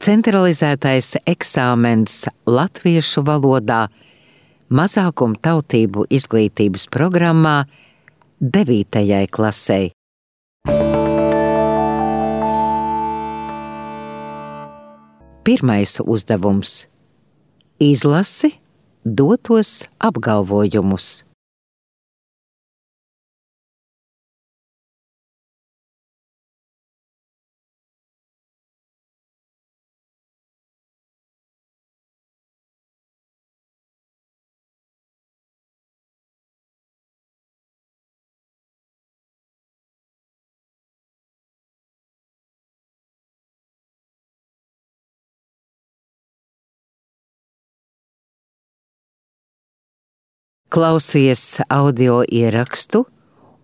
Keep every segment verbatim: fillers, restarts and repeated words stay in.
Centralizētais eksāmens latviešu valodā mazākumu tautību izglītības programmā devītajai klasei. Pirmais uzdevums – izlasi dotos apgalvojumus. Klausies audio ierakstu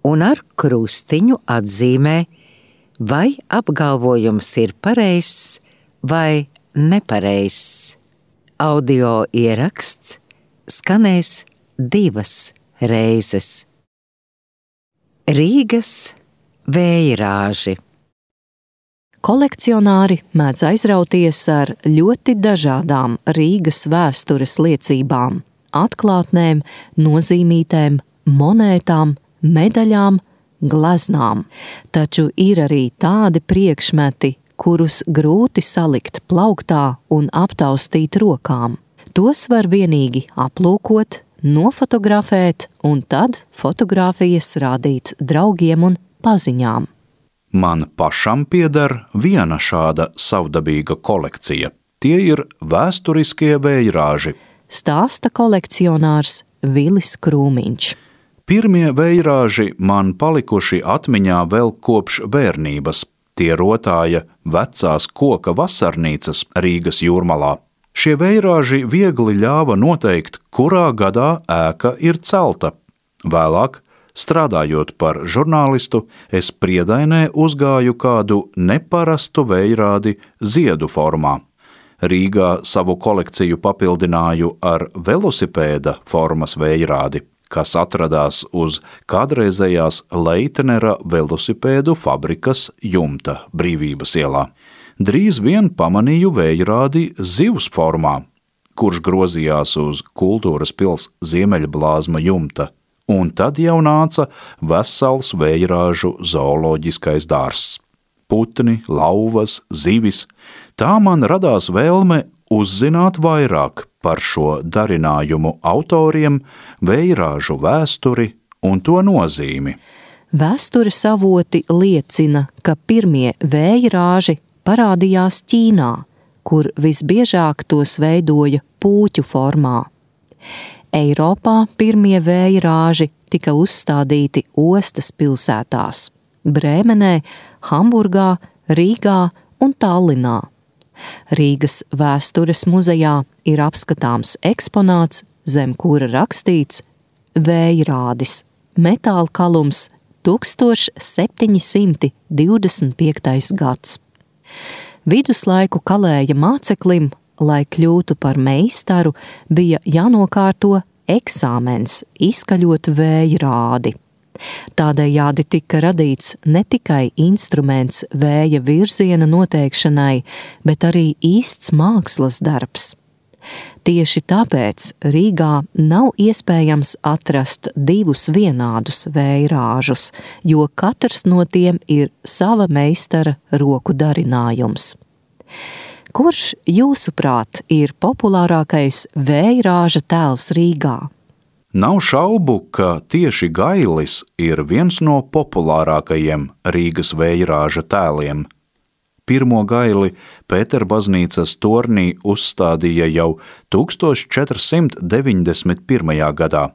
un ar krustiņu atzīmē, vai apgalvojums ir pareizs vai nepareizs. Audio ieraksts skanēs divas reizes. Rīgas vējrāži. Kolekcionāri mēdz aizrauties ar ļoti dažādām Rīgas vēstures liecībām, atklātnēm, nozīmītēm, monētām, medaļām, gleznām. Taču ir arī tādi priekšmeti, kurus grūti salikt plauktā un aptaustīt rokām. Tos var vienīgi aplūkot, nofotografēt un tad fotogrāfijas rādīt draugiem un paziņām. Man pašam pieder viena šāda savdabīga kolekcija. Tie ir vēsturiskie vējrāži. Stāsta kolekcionārs Vilis Krūmiņš. Pirmie vējrāži man palikuši atmiņā vēl kopš bērnības. Tie rotāja vecās koka vasarnīcas Rīgas jūrmalā. Šie vējrāži viegli ļāva noteikt, kurā gadā ēka ir celta. Vēlāk, strādājot par žurnālistu, es Priedainē uzgāju kādu neparastu vējrādi ziedu formā. Rīgā savu kolekciju papildināju ar velosipēda formas vējrādi, kas atradās uz kādreizējās Leitenera velosipēdu fabrikas jumta Brīvības ielā. Drīz vien pamanīju vējrādi zivs formā, kurš grozījās uz Kultūras pils ziemeļblāzma jumta, un tad jau nāca vesels vējrāžu zooloģiskais dārzs. Putni, lauvas, zivis, tā man radās vēlme uzzināt vairāk par šo darinājumu autoriem, vējrāžu vēsturi un to nozīmi. Vēstures avoti liecina, ka pirmie vējrāži parādījās Ķīnā, kur visbiežāk tos veidoja pūķu formā. Eiropā pirmie vējrāži tika uzstādīti ostas pilsētās – Brēmenē, Hamburgā, Rīgā un Tallinā. Rīgas vēstures muzejā ir apskatāms eksponāts, zem kura rakstīts vējrādis, metāla kalums tūkstoš septiņi simti divdesmit piektais gads. Viduslaiku kalēja māceklim, lai kļūtu par meistaru, bija jānokārto eksāmens, izskaļot vējrādi. Tādējādi tika radīts ne tikai instruments vēja virziena noteikšanai, bet arī īsts mākslas darbs. Tieši tāpēc Rīgā nav iespējams atrast divus vienādus vējrāžus, jo katrs no tiem ir sava meistara roku darinājums. Kurš, jūsuprāt, ir populārākais vējrāža tēls Rīgā? Nav šaubu, ka tieši Gailis ir viens no populārākajiem Rīgas vējrāža tēliem. Pirmo gaili Pēterbaznīcas tornī uzstādīja jau tūkstoš četri simti deviņdesmit pirmajā gadā,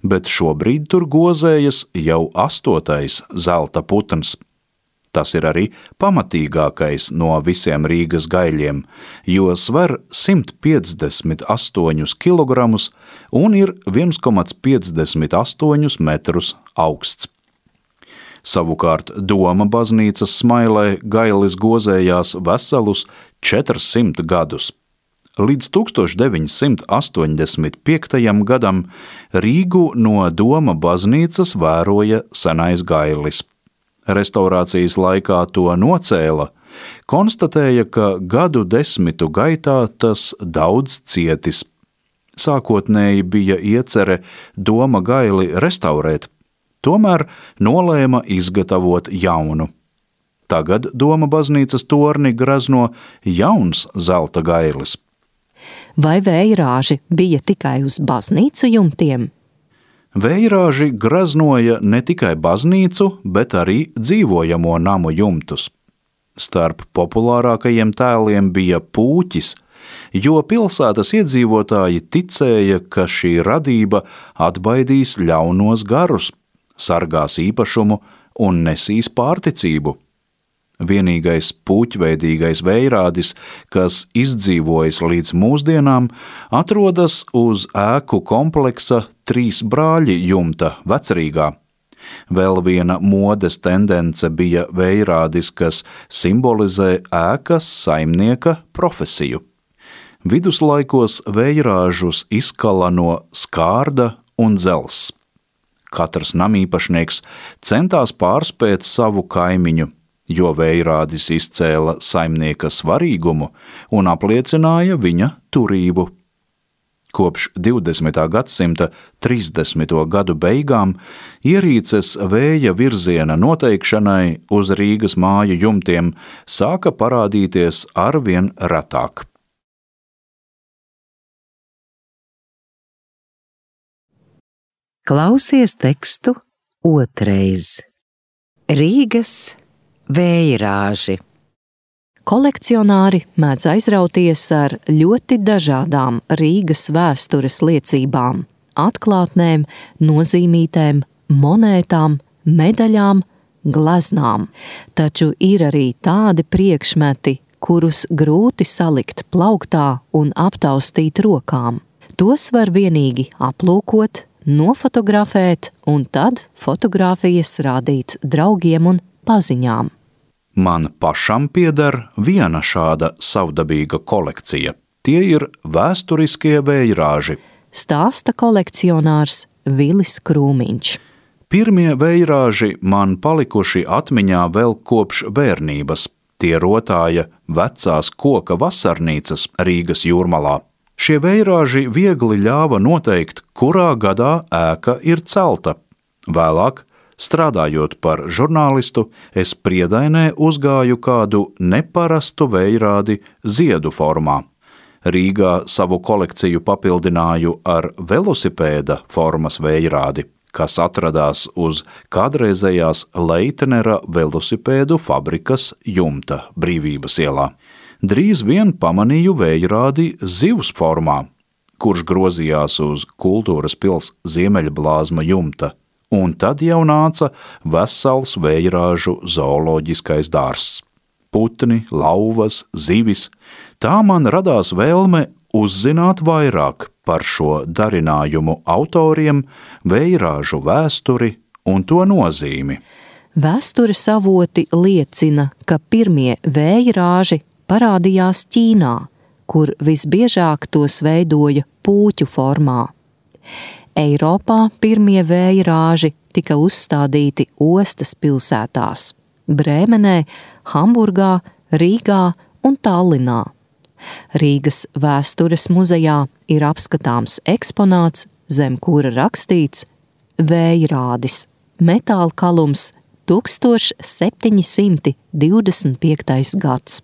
bet šobrīd tur gozējas jau astotais zelta putns. Tas ir arī pamatīgākais no visiem Rīgas gaiļiem, jo sver simt piecdesmit astoņus kilogramus un ir viens komats piecdesmit astoņus metrus augsts. Savukārt Doma baznīcas smailē gailis gozējās veselus četrsimt gadus. Līdz tūkstoš deviņi simti astoņdesmit piektajam gadam Rīgu no Doma baznīcas vēroja senais gailis. Restaurācijas laikā to nocēla, konstatēja, ka gadu desmitu gaitā tas daudz cietis. Sākotnēji bija iecerē Doma gaili restaurēt, tomēr nolēma izgatavot jaunu. Tagad Doma baznīcas torni grazno jauns zelta gailis. Vai vējrāži bija tikai uz baznīcu jumtiem? Vējrāži graznoja ne tikai baznīcu, bet arī dzīvojamo namu jumtus. Starp populārākajiem tēliem bija pūķis, jo pilsētas iedzīvotāji ticēja, ka šī radība atbaidīs ļaunos garus, sargās īpašumu un nesīs pārticību. Vienīgais puķveidīgais vējrādis, kas izdzīvojis līdz mūsdienām, atrodas uz ēku kompleksa Trīs brāļi jumta Vecrīgā. Vēl viena modes tendence bija vējrādis, kas simbolizē ēkas saimnieka profesiju. Viduslaikos vējrāžus izkala no skārda un dzels. Katrs namīpašnieks centās pārspēt savu kaimiņu, jo vējrādis izcēla saimnieka svarīgumu un apliecināja viņa turību. Kopš divdesmitā gadsimta trīsdesmito gadu beigām ierīces vēja virziena noteikšanai uz Rīgas māju jumtiem sāka parādīties arvien retāk. Klausies tekstu otrais. Rīgas vējrāži. Kolekcionāri mēdz aizrauties ar ļoti dažādām Rīgas vēstures liecībām, atklātnēm, nozīmītēm, monētām, medaļām, gleznām. Taču ir arī tādi priekšmeti, kurus grūti salikt plauktā un aptaustīt rokām. Tos var vienīgi aplūkot, nofotografēt un tad fotogrāfijas rādīt draugiem un paziņām. Man pašam pieder viena šāda savdabīga kolekcija. Tie ir vēsturiskie vējrāži. Stāsta kolekcionārs Vilis Krūmiņš. Pirmie vējrāži man palikuši atmiņā vēl kopš bērnības. Tie rotāja vecās koka vasarnīcas Rīgas jūrmalā. Šie vējrāži viegli ļāva noteikt, kurā gadā ēka ir celta. Vēlāk, strādājot par žurnālistu, es Priedainē uzgāju kādu neparastu vējrādi ziedu formā. Rīgā savu kolekciju papildināju ar velosipēda formas vējrādi, kas atradās uz kādreizējās Leitenera velosipēdu fabrikas jumta Brīvības ielā. Drīz vien pamanīju vējrādi zivs formā, kurš grozījās uz Kultūras pils ziemeļblāzma jumta, un tad jau nāca vesels vējrāžu zooloģiskais dārzs. Putni, lauvas, zivis, tā man radās vēlme uzzināt vairāk par šo darinājumu autoriem, vējrāžu vēsturi un to nozīmi. Vēstures avoti liecina, ka pirmie vējrāži parādījās Ķīnā, kur visbiežāk tos veidoja pūķu formā. Eiropā pirmie vējrāži tika uzstādīti ostas pilsētās – Brēmenē, Hamburgā, Rīgā un Tallinā. Rīgas vēstures muzejā ir apskatāms eksponāts, zem kura rakstīts vējrādis, metāla kalums tūkstoš septiņi simti divdesmit piektais gads.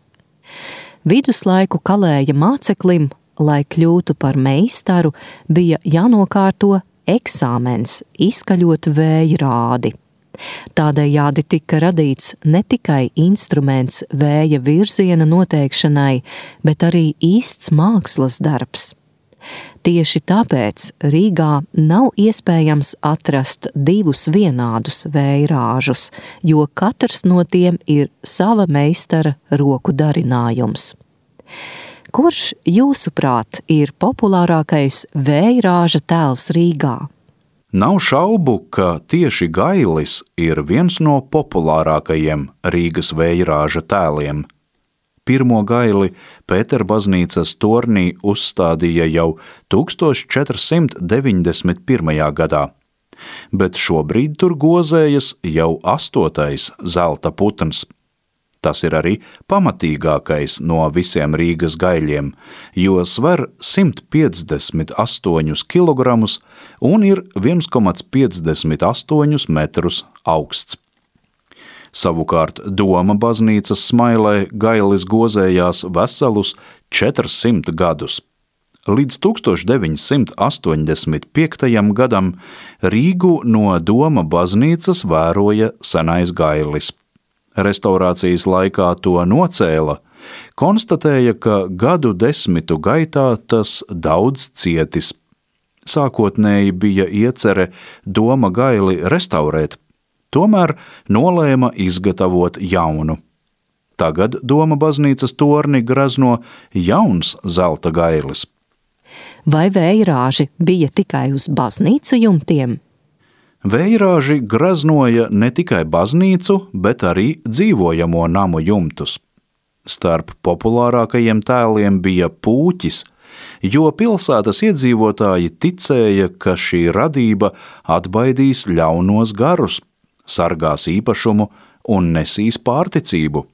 Viduslaiku kalēja māceklim, lai kļūtu par meistaru, bija jānokārto eksāmens, izskaļot vējrādi. Tādējādi tika radīts ne tikai instruments vēja virziena noteikšanai, bet arī īsts mākslas darbs. Tieši tāpēc Rīgā nav iespējams atrast divus vienādus vējrāžus, jo katrs no tiem ir sava meistara roku darinājums. Kurš, jūsuprāt, ir populārākais vējrāža tēls Rīgā? Nav šaubu, ka tieši gailis ir viens no populārākajiem Rīgas vējrāža tēliem. Pirmo gaili Pēterbaznīcas tornī uzstādīja jau tūkstoš četri simti deviņdesmit pirmajā gadā, bet šobrīd tur gozējas jau astotais zelta putns. Tas ir arī pamatīgākais no visiem Rīgas gaiļiem, jo sver simt piecdesmit astoņus kilogramus un ir viens komats piecdesmit astoņus metrus augsts. Savukārt Doma baznīcas smailē gailis gozējās veselus četrsimt gadus. Līdz tūkstoš deviņi simti astoņdesmit piektajam gadam Rīgu no Doma baznīcas vēroja senais gailis. Restaurācijas laikā to nocēla, konstatēja, ka gadu desmitu gaitā tas daudz cietis. Sākotnēji bija iecere Doma gaili restaurēt, tomēr nolēma izgatavot jaunu. Tagad Doma baznīcas torni grazno jauns zelta gailis. Vai vējrāži bija tikai uz baznīcu jumtiem? Vējrāži graznoja ne tikai baznīcu, bet arī dzīvojamo namu jumtus. Starp populārākajiem tēliem bija pūķis, jo pilsētas iedzīvotāji ticēja, ka šī radība atbaidīs ļaunos garus, sargās īpašumu un nesīs pārticību.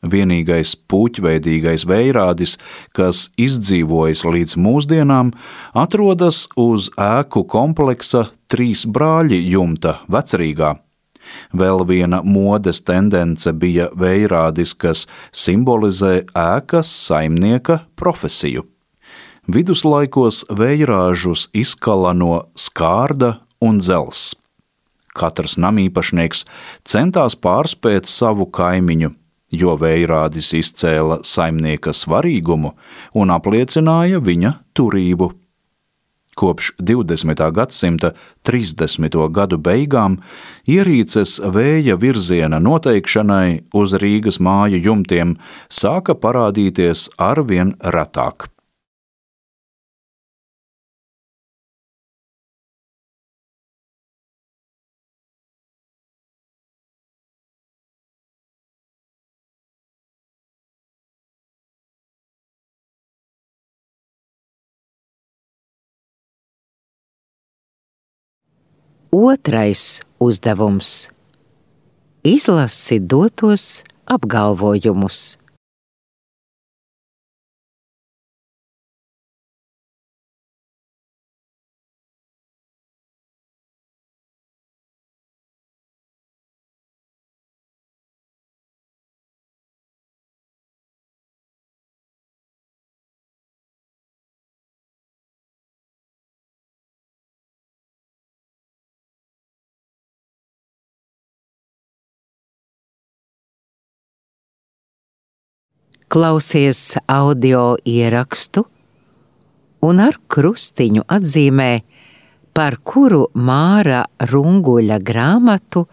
Vienīgais puķveidīgais vējrādis, kas izdzīvojis līdz mūsdienām, atrodas uz ēku kompleksa Trīs brāļi jumta Vecrīgā. Vēl viena modes tendence bija vējrādis, kas simbolizē ēkas saimnieka profesiju. Viduslaikos vējrāžus izkala no skārda un dzelzs. Katrs namīpašnieks centās pārspēt savu kaimiņu, jo vējrādis izcēla saimnieka svarīgumu un apliecināja viņa turību. Kopš divdesmitā gadsimta trīsdesmito gadu beigām ierīces vēja virziena noteikšanai uz Rīgas māju jumtiem sāka parādīties arvien retāk. Otrais uzdevums – izlasi dotos apgalvojumus. Klausies audio ierakstu un ar krustiņu atzīmē, par kuru Māra Runguļa grāmatu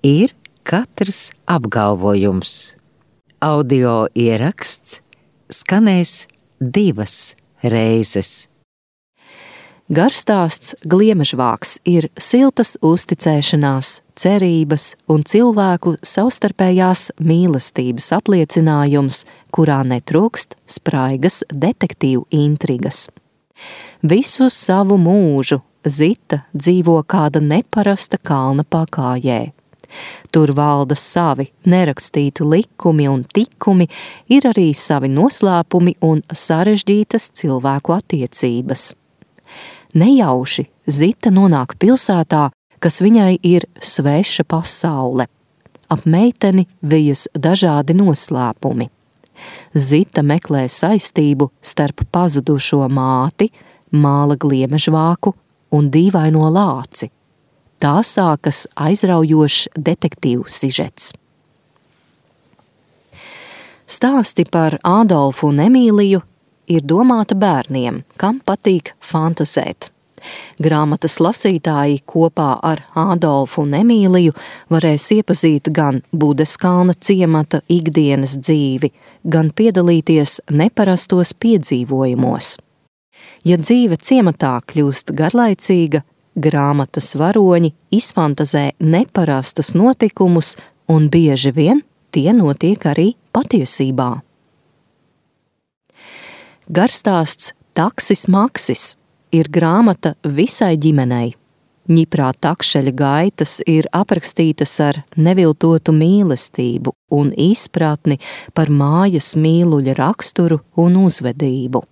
ir katrs apgalvojums. Audio ieraksts skanēs divas reizes. Garstāsts Gliemežvāks ir siltas uzticēšanās, cerības un cilvēku savstarpējās mīlestības apliecinājums, kurā netrūkst spraigas detektīvu intrigas. Visu savu mūžu Zita dzīvo kāda neparasta kalna pakājē. Tur valda savi nerakstīti likumi un tikumi, ir arī savi noslēpumi un sarežģītas cilvēku attiecības. Nejauši Zita nonāk pilsētā, kas viņai ir sveša pasaule. Ap meiteni vijas dažādi noslēpumi. Zita meklē saistību starp pazudušo māti, Māla Gliemežvāku un dīvaino lāci. Tā sākas aizraujošs detektīvu sižets. Stāsti par Ādolfu un Emīliju ir domāta bērniem, kam patīk fantazēt. Grāmatas lasītāji kopā ar Ādolfu un Emīliju varēs iepazīt gan Budeskalna ciemata ikdienas dzīvi, gan piedalīties neparastos piedzīvojumos. Ja dzīve ciematā kļūst garlaicīga, grāmatas varoņi izfantazē neparastus notikumus, un bieži vien tie notiek arī patiesībā. Garstāsts Taksis Maksis ir grāmata visai ģimenei. Ņiprā takšeļa gaitas ir aprakstītas ar neviltotu mīlestību un izpratni par mājas mīluļa raksturu un uzvedību.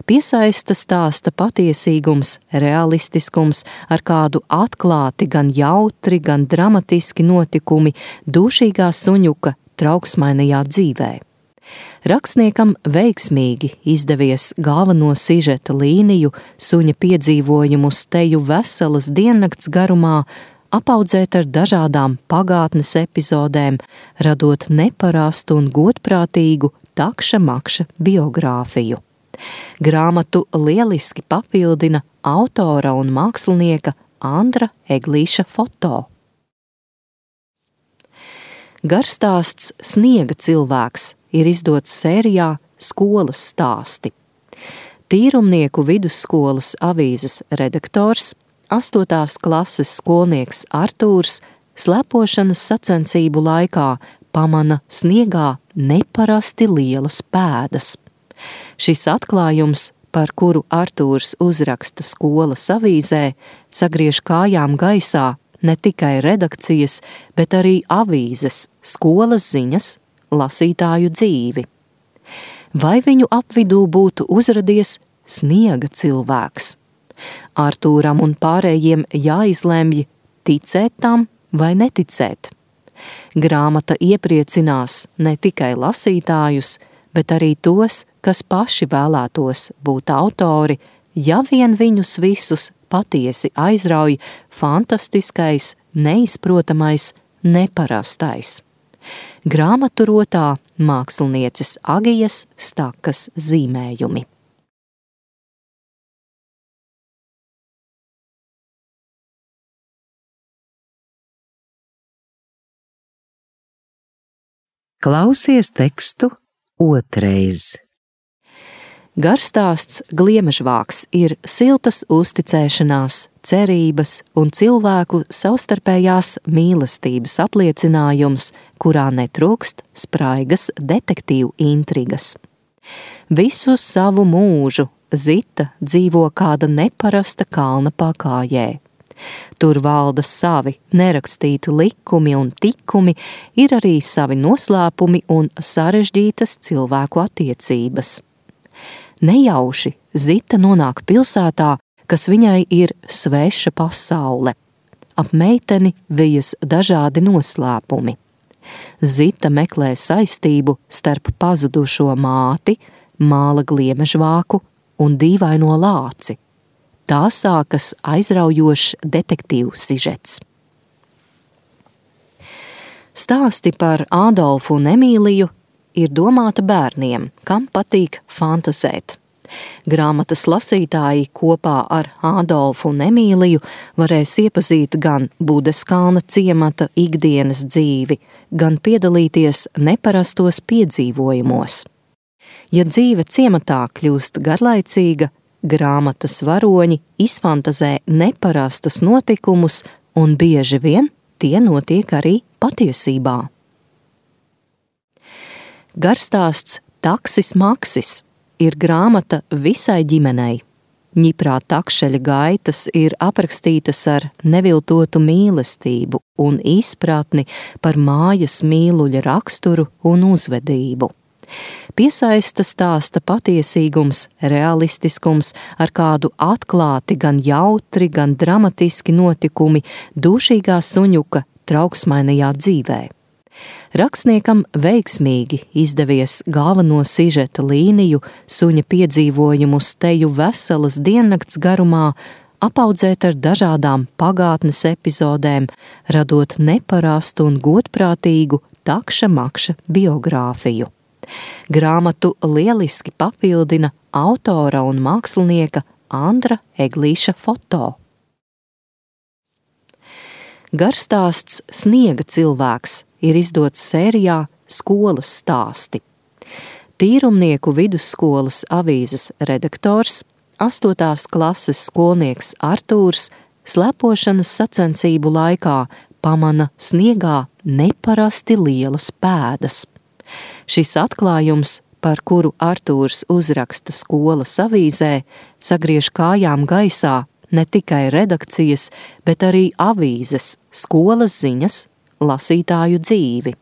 Piesaista stāsta patiesīgums, realistiskums, ar kādu atklāti gan jautri, gan dramatiski notikumi dūšīgā suņuka trauksmainajā dzīvē. Rakstniekam veiksmīgi izdevies galveno sižeta līniju, suņa piedzīvojumus teju veselas diennakts garumā, apaudzēt ar dažādām pagātnes epizodēm, radot neparastu un godprātīgu takša makša biogrāfiju. Grāmatu lieliski papildina autora un mākslinieka Andra Eglīša foto. Garstāsts Sniega cilvēks ir izdots sērijā Skolas stāsti. Tīrumnieku vidusskolas avīzes redaktors, astotās klases skolnieks Artūrs slepošanas sacensību laikā pamana sniegā neparasti lielas pēdas. Šis atklājums, par kuru Artūrs uzraksta skolas avīzē, sagriež kājām gaisā ne tikai redakcijas, bet arī avīzes, skolas ziņas, lasītāju dzīvi. Vai viņu apvidū būtu uzradies Sniega cilvēks? Artūram un pārējiem jāizlemj ticēt tam vai neticēt. Grāmata iepriecinās ne tikai lasītājus, bet arī tos, kas paši vēlētos būt autori, ja vien viņus visus patiesi aizrauj fantastiskais, neizprotamais, neparastais. Grāmatu rotā mākslinieces Agijas Stakas zīmējumi. Klausies tekstu otrais. Garstāsts Gliemežvāks ir siltas uzticēšanās, cerības un cilvēku savstarpējās mīlestības apliecinājums, kurā netrūkst spraigas detektīvu intrigas. Visu savu mūžu Zita dzīvo kāda neparasta kalna pakājē. Tur valda savi nerakstīti likumi un tikumi, ir arī savi noslēpumi un sarežģītas cilvēku attiecības. Nejauši Zita nonāk pilsētā, kas viņai ir sveša pasaule. Ap meiteni vijas dažādi noslēpumi. Zita meklē saistību starp pazudušo māti, māla gliemežvāku un dīvaino lāci. Tā sākas aizraujošs detektīvu sižets. Stāsti par Ādolfu un Emīliju ir domāta bērniem, kam patīk fantazēt. Grāmatas lasītāji kopā ar Ādolfu un Emīliju varēs iepazīt gan Budeskalna ciemata ikdienas dzīvi, gan piedalīties neparastos piedzīvojumos. Ja dzīve ciematā kļūst garlaicīga, grāmatas varoņi izfantazē neparastus notikumus, un bieži vien tie notiek arī patiesībā. Garstāsts Taksis Maksis ir grāmata visai ģimenei. Ņiprā takšeļa gaitas ir aprakstītas ar neviltotu mīlestību un izpratni par mājas mīluļa raksturu un uzvedību. Piesaista stāsta patiesīgums, realistiskums, ar kādu atklāti gan jautri, gan dramatiski notikumi dūšīgā suņuka trauksmainajā dzīvē. Rakstniekam veiksmīgi izdevies galveno sižeta līniju, suņa piedzīvojumus teju veselas diennakts garumā, apaudzēt ar dažādām pagātnes epizodēm, radot neparastu un godprātīgu takša makša biogrāfiju. Grāmatu lieliski papildina autora un mākslinieka Andra Eglīša foto. Garstāsts Sniega cilvēks ir izdots sērijā Skolas stāsti. Tīrumnieku vidusskolas avīzes redaktors, astotās klases skolnieks Artūrs slepošanas sacensību laikā pamana sniegā neparasti lielas pēdas. Šis atklājums, par kuru Artūrs uzraksta skolas avīzē, sagriež kājām gaisā ne tikai redakcijas, bet arī avīzes, skolas ziņas, lasītāju dzīvi.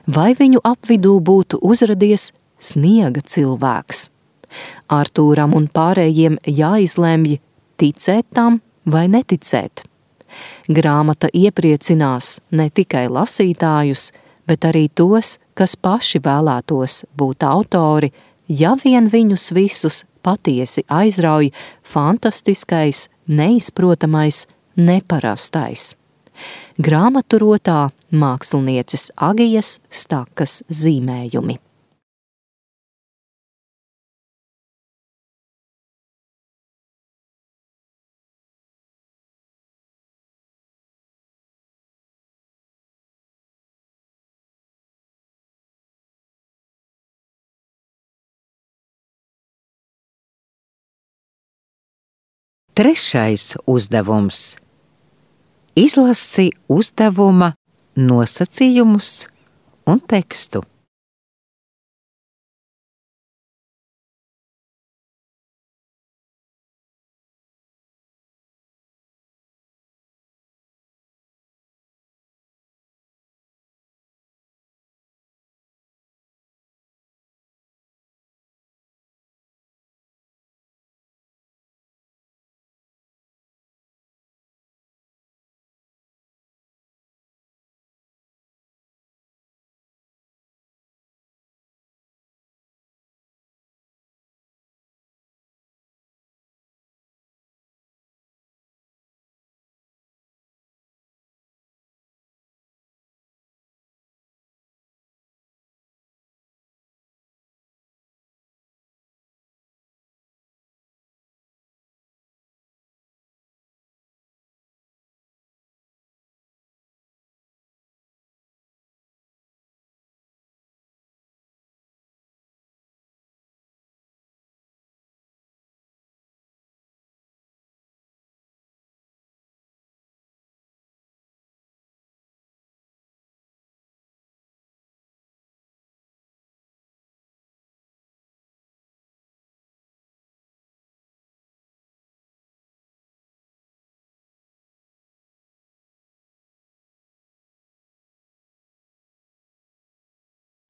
vai viņu apvidū būtu uzradies sniega cilvēks. Artūram un pārējiem jāizlemj ticēt tam vai neticēt. Grāmata iepriecinās ne tikai lasītājus, bet arī tos, kas paši vēlētos būt autori, ja vien viņus visus patiesi aizrauj fantastiskais, neizprotamais, neparastais. Grāmatu rotā mākslinieces Agijas Stakas zīmējumi. Trešais uzdevums. Izlasi uzdevuma nosacījumus un tekstu.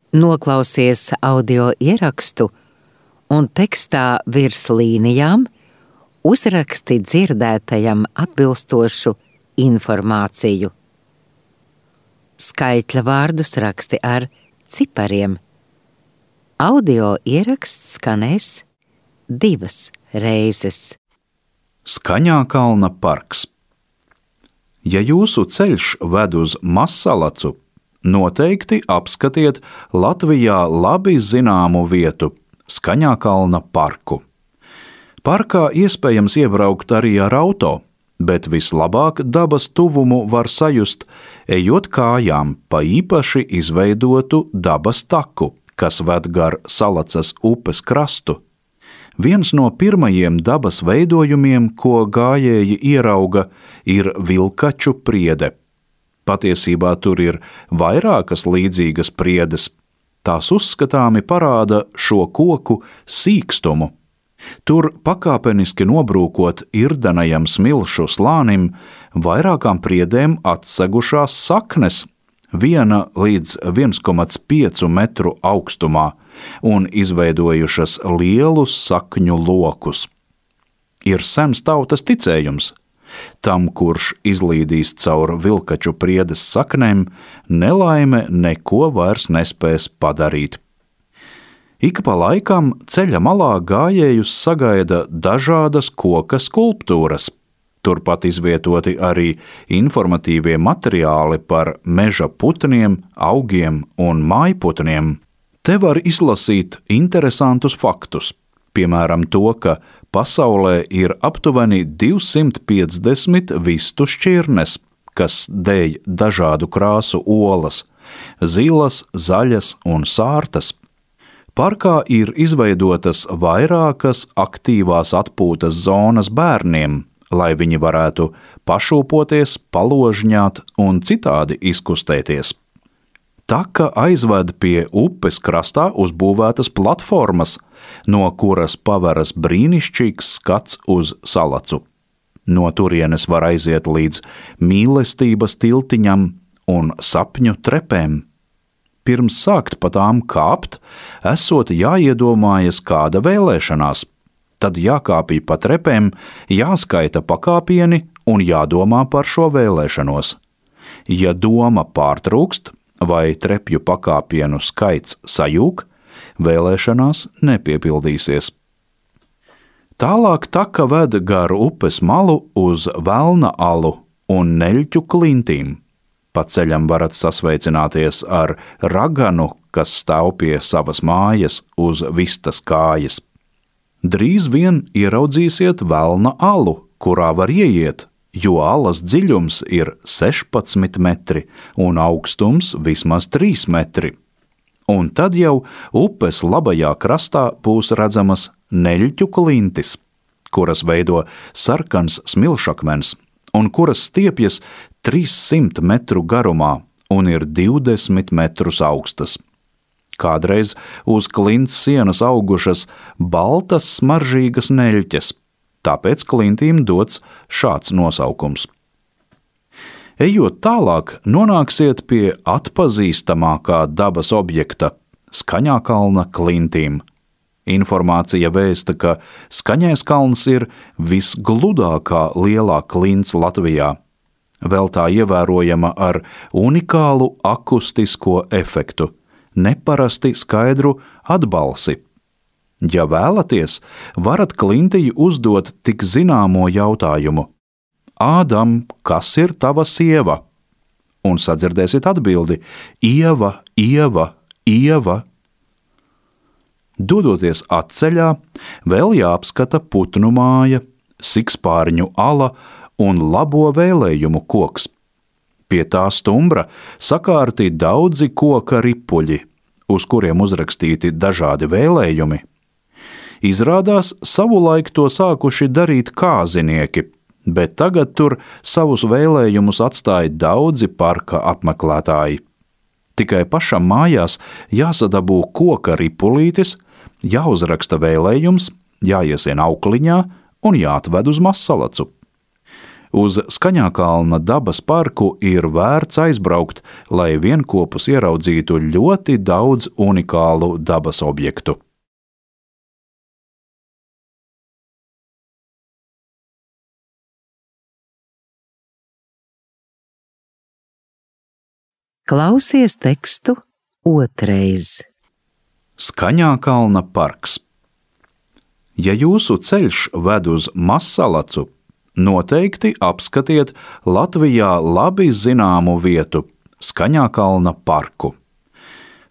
Noklausies audio ierakstu un tekstā virs līnijām uzraksti dzirdētajam atbilstošu informāciju. Skaitļa vārdus raksti ar cipariem. Audio ieraksts skanēs divas reizes. Skaņākalna parks. Ja jūsu ceļš ved uz Mazsalacu, noteikti apskatiet Latvijā labi zināmu vietu – Skaņākalna parku. Parkā iespējams iebraukt arī ar auto, bet vislabāk dabas tuvumu var sajust, ejot kājām pa īpaši izveidotu dabas taku, kas ved gar Salacas upes krastu. Viens no pirmajiem dabas veidojumiem, ko gājēji ierauga, ir Vilkaču priede. Patiesībā tur ir vairākas līdzīgas priedes. Tās uzskatāmi parāda šo koku sīkstumu. Tur pakāpeniski nobrūkot irdenajam smilšu slānim, vairākām priedēm atsegušās saknes, viena līdz viens komats pieci metru augstumā un izveidojušas lielus sakņu lokus. Ir sens tautas ticējums. Tam, kurš izlīdīs caur Vilkaču priedes saknēm, nelaime neko vairs nespēs padarīt. Ik pa laikam ceļa malā gājējus sagaida dažādas koka skulptūras. Turpat izvietoti arī informatīvie materiāli par meža putniem, augiem un mājputniem. Te var izlasīt interesantus faktus, piemēram to, ka pasaulē ir aptuveni divsimt piecdesmit vistu šķirnes, kas dēj dažādu krāsu olas – zilas, zaļas un sārtas. Parkā ir izveidotas vairākas aktīvās atpūtas zonas bērniem, lai viņi varētu pašūpoties, paložņāt un citādi izkustēties. Taka aizved pie upes krastā uzbūvētas platformas, no kuras paveras brīnišķīgs skats uz Salacu. No turienes var aiziet līdz mīlestības tiltiņam un sapņu trepēm. Pirms sākt pa tām kāpt, esot jāiedomājas kāda vēlēšanās. Tad jākāpj pa trepēm, jāskaita pakāpieni un jādomā par šo vēlēšanos. Ja doma pārtrūkst vai trepju pakāpienu skaits sajūg, vēlēšanās nepiepildīsies. Tālāk taka ved gar upes malu uz Velna alu un Neļķu klintīm. Pa ceļam varat sasveicināties ar raganu, kas stāv pie savas mājas uz vistas kājas. Drīz vien ieraudzīsiet Velna alu, kurā var ieiet, jo alas dziļums ir sešpadsmit metri un augstums vismaz trīs metri. Un tad jau upes labajā krastā būs redzamas Neļķu klintis, kuras veido sarkans smilšakmens un kuras stiepjas trīssimt metru garumā un ir divdesmit metrus augstas. Kādreiz uz klints sienas augušas baltas smaržīgas neļķes, tāpēc klintīm dots šāds nosaukums. Ejot tālāk, nonāksiet pie atpazīstamākā dabas objekta – Skaņākalna klintīm. Informācija vēsta, ka Skaņēskalns ir visgludākā lielā klints Latvijā. Vēl tā ievērojama ar unikālu akustisko efektu, neparasti skaidru atbalsi. Ja vēlaties, varat klintī uzdot tik zināmo jautājumu: Ādam, kas ir tava sieva? Un sadzirdēsiet atbildi: Ieva, Ieva, Ieva. Dodoties atceļā, vēl jāapskata putnu māja, sikspārņu ala un labo vēlējumu koks. Pie tā stumbra sakārti daudzi koka ripuļi, uz kuriem uzrakstīti dažādi vēlējumi. Izrādās, savulaik to sākuši darīt kāzinieki, bet tagad tur savus vēlējumus atstāja daudzi parka apmeklētāji. Tikai pašam mājās jāsadabū koka ripulītis, jāuzraksta vēlējums, jāiesien aukliņā un jāatved uz Mazsalacu. Uz Skaņākalna dabas parku ir vērts aizbraukt, lai vienkopus ieraudzītu ļoti daudz unikālu dabas objektu. Klausies tekstu otrais. Skaņākalna parks. Ja jūsu ceļš ved uz Mazsalacu, noteikti apskatiet Latvijā labi zināmu vietu – Skaņākalna parku.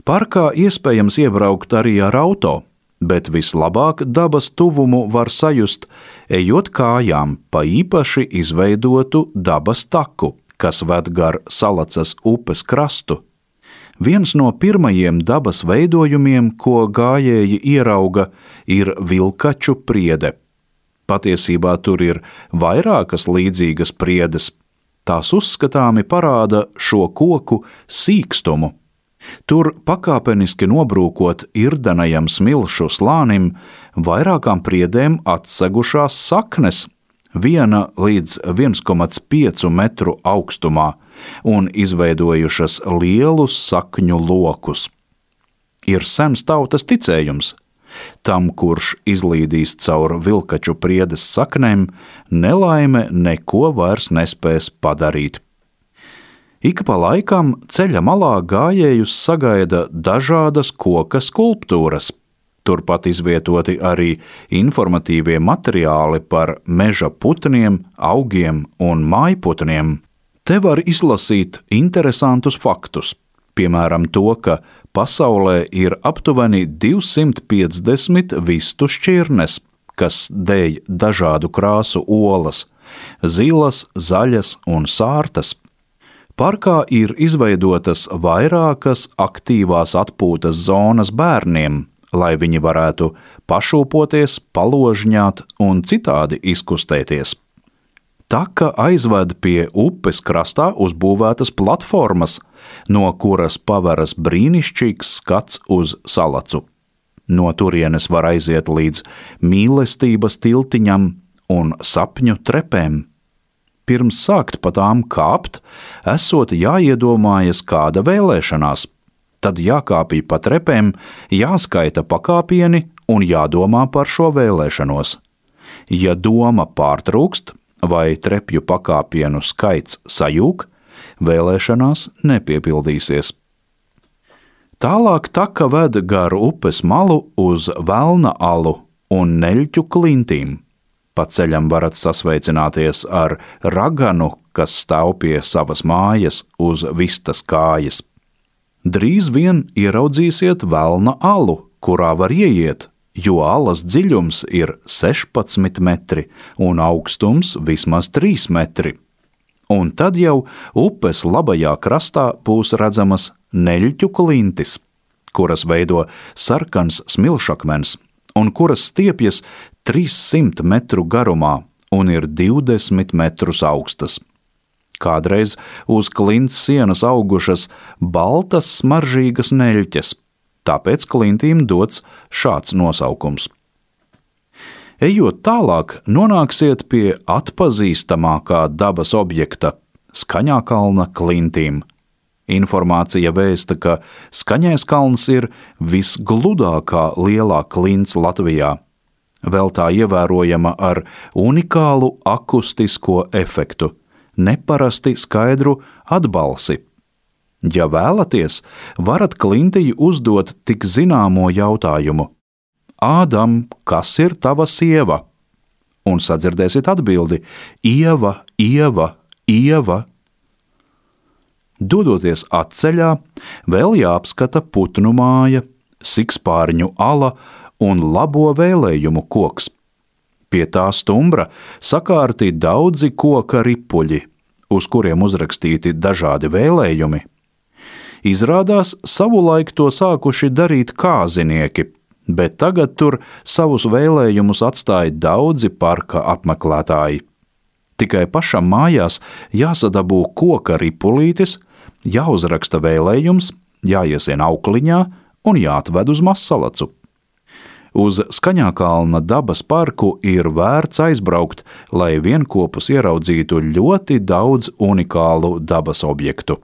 Parkā iespējams iebraukt arī ar auto, bet vislabāk dabas tuvumu var sajust, ejot kājām pa īpaši izveidotu dabas taku, kas ved gar Salacas upes krastu. Viens no pirmajiem dabas veidojumiem, ko gājēji ierauga, ir vilkaču priede. Patiesībā tur ir vairākas līdzīgas priedes. Tās uzskatāmi parāda šo koku sīkstumu. Tur pakāpeniski nobrūkot irdenajam smilšu slānim, vairākām priedēm atsegušās saknes, viena līdz viens komats pieci metru augstumā, un izveidojušas lielus sakņu lokus. Ir sens tautas ticējums. Tam, kurš izlīdīs caur vilkaču priedes saknēm, nelaime neko vairs nespēs padarīt. Ik pa laikam ceļa malā gājējus sagaida dažādas koka skulptūras. Turpat izvietoti arī informatīvie materiāli par meža putniem, augiem un mājputniem. Te var izlasīt interesantus faktus, piemēram to, ka pasaulē ir aptuveni divsimt piecdesmit vistu šķirnes, kas dēj dažādu krāsu olas – zilas, zaļas un sārtas. Parkā ir izveidotas vairākas aktīvās atpūtas zonas bērniem, lai viņi varētu pašūpoties, paložņāt un citādi izkustēties. Taka aizved pie upes krastā uzbūvētas platformas, no kuras paveras brīnišķīgs skats uz Salacu. No turienes var aiziet līdz mīlestības tiltiņam un sapņu trepēm. Pirms sākt pa tām kāpt, esot jāiedomājas kāda vēlēšanās. tad jākāpj pa trepēm, jāskaita pakāpieni un jādomā par šo vēlēšanos. Ja doma pārtrūkst vai trepju pakāpienu skaits sajūg, vēlēšanās nepiepildīsies. Tālāk taka ved gar upes malu uz Velna alu un Neļķu klintīm. Pa ceļam varat sasveicināties ar raganu, kas stāv pie savas mājas uz vistas kājas. Drīz vien ieraudzīsiet Velna alu, kurā var ieiet, jo alas dziļums ir sešpadsmit metri un augstums vismaz trīs metri. Un tad jau upes labajā krastā būs redzamas Neļķu klintis, kuras veido sarkans smilšakmens un kuras stiepjas trīssimt metru garumā un ir divdesmit metrus augstas. Kādreiz uz klints sienas augušas baltas smaržīgas neļķes, tāpēc klintīm dots šāds nosaukums. Ejot tālāk, nonāksiet pie atpazīstamākā dabas objekta – Skaņākalna klintīm. Informācija vēsta, ka Skaņais kalns ir visgludākā lielā klints Latvijā. Vēl tā ievērojama ar unikālu akustisko efektu, neparasti skaidru atbalsi. Ja vēlaties, varat klintī uzdot tik zināmo jautājumu: Ādam, kas ir tava sieva? Un sadzirdēsiet atbildi: Ieva, Ieva, Ieva. Dodoties atceļā, vēl jāapskata putnu māja, sikspārņu ala un labo vēlējumu koks. Pie tā stumbra sakārti daudzi koka ripuļi, uz kuriem uzrakstīti dažādi vēlējumi. Izrādās, savulaik to sākuši darīt kāzinieki, bet tagad tur savus vēlējumus atstāja daudzi parka apmeklētāji. Tikai pašam mājās jāsadabū koka ripulītis, jāuzraksta vēlējums, jāiesien aukliņā un jāatved uz Mazsalacu. Uz Skaņākalna dabas parku ir vērts aizbraukt, lai vienkopus ieraudzītu ļoti daudz unikālu dabas objektu.